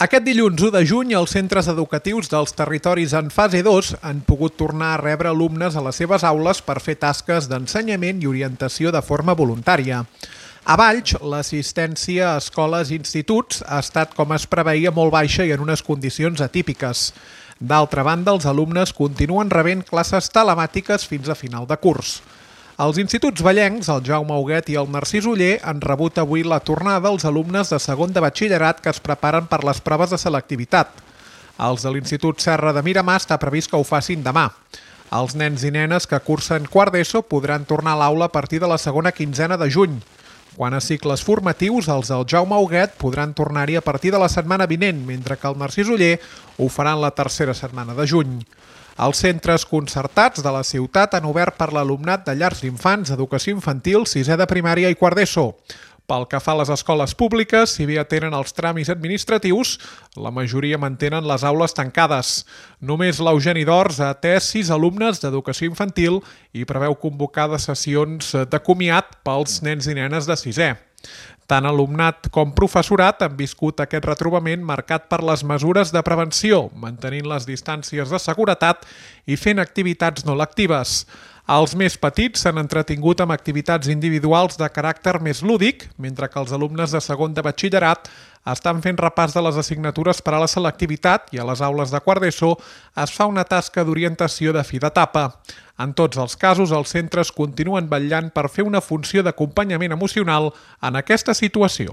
Aquest dilluns 1 de juny, els centres educatius dels territoris en fase 2 han pogut tornar a rebre alumnes a les seves aules per fer tasques d'ensenyament i orientació de forma voluntària. A Valls, l'assistència a escoles i instituts ha estat, com es preveia, molt baixa i en unes condicions atípiques. D'altra banda, els alumnes continuen rebent classes telemàtiques fins a final de curs. Els instituts vallencs, el Jaume Huguet i el Narcís Oller, han rebut avui la tornada als alumnes de segon de batxillerat que es preparen per les proves de selectivitat. Els de l'Institut Serra de Miramar està previst que ho facin demà. Els nens i nenes que cursen quart d'ESO podran tornar a l'aula a partir de la segona quinzena de juny. Quant a cicles formatius, els del Jaume Huguet podran tornar-hi a partir de la setmana vinent, mentre que el Narcís Oller ho faran la tercera setmana de juny. Els centres concertats de la ciutat han obert per l'alumnat de llars d'infants, educació infantil, sisè de primària i quart d'ESO. Pel que fa a les escoles públiques, si bé atenen els tràmits administratius, la majoria mantenen les aules tancades. Només l'Eugeni d'Ors ha atès 6 alumnes d'educació infantil i preveu convocar sessions de comiat pels nens i nenes de sisè. Tant alumnat com professorat han viscut aquest retrobament marcat per les mesures de prevenció, mantenint les distàncies de seguretat i fent activitats no lectives. Els més petits s'han entretingut amb activitats individuals de caràcter més lúdic, mentre que els alumnes de segon de batxillerat estan fent repàs de les assignatures per a la selectivitat i a les aules de quart d'ESO es fa una tasca d'orientació de fi d'etapa. En tots els casos, els centres continuen vetllant per fer una funció d'acompanyament emocional en aquesta situació.